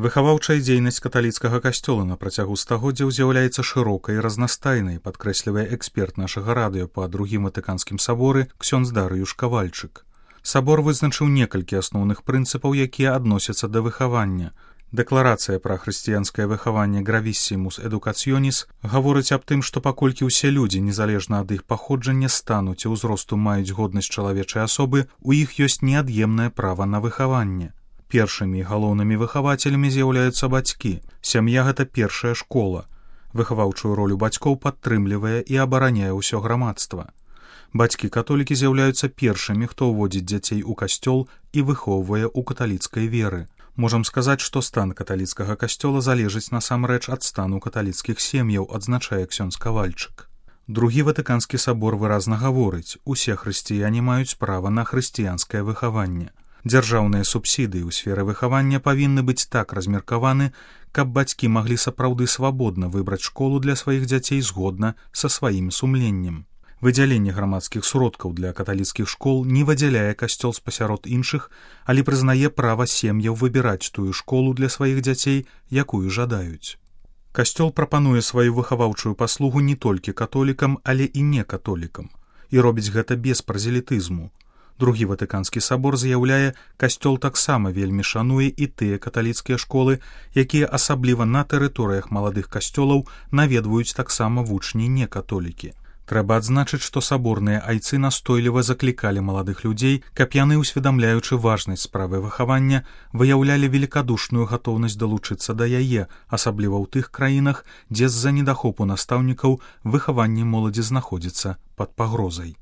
Выхаваўчая дзейнасць каталіцкага касцёла на працягу стагоддзяў з'яўляецца шырокай і разнастайнай, падкрэслівае эксперт нашага радыё па другім ватыканскім саборы ксёндз Дарыюш Кавальчык. Сабор вызначыў некалькі асноўных прынцыпаў, якія адносяцца да выхавання. Дэкларацыя пра хрысціянскае выхаванне Gravissimus Educationis гаворыць аб тым, што паколькі ўсе людзі, незалежна ад іх паходжання, стану ці ўзросту маюць годнасць чалавечай асобы, у іх ёсць неад'емнае права на выхаванне. Першымі і галоўнымі выхавацелямі з'яўляюцца бацькі. Сям'я — гэта першая школа. Выхаваўчую ролю бацькоў падтрымлівае і абараняе ўсё грамадства. Бацькі-католікі з'яўляюцца першымі, хто ўводзіць дзяцей у касцёл і выхоўвае ў каталіцкай веры. Можам сказаць, што стан каталіцкага касцёла залежыць насамрэч ад стану каталіцкіх сем'яў, адзначае ксёндз Кавальчык. Другі ватыканскі сабор выразна гаворыць: усе хрысціяне маюць права на хрысціянскае выхаванне. Дзяржаўныя субсідыі ў сферы выхавання павінны быць так размеркаваны, каб бацькі маглі сапраўды свабодна выбраць школу для сваіх дзяцей згодна са сваім сумленнем. Выдзяленне грамадскіх сродкаў для каталіцкіх школ не выдзяляе касцёл спасярод іншых, але прызнае права сем'яў выбіраць тую школу для сваіх дзяцей, якую жадаюць. Касцёл прапануе сваю выхаваўчую паслугу не толькі католікам, але і некатолікам, і робіць гэта без празелітызму. Другі ватыканскі сабор заяўляе, касцёл таксама вельмі шануе і тыя каталіцкія школы, якія асабліва на тэрыторыях маладых касцёлаў наведваюць таксама вучні некатолікі. Трэба адзначыць, што саборныя айцы настойліва заклікалі маладых людзей, каб яны, усведамляючы важнасць справы выхавання, выяўлялі велікадушную гатоўнасць далучыцца да яе, асабліва ў тых краінах, дзе з-за недахопу настаўнікаў выхаванне моладзі знаходзіцца пад пагрозай.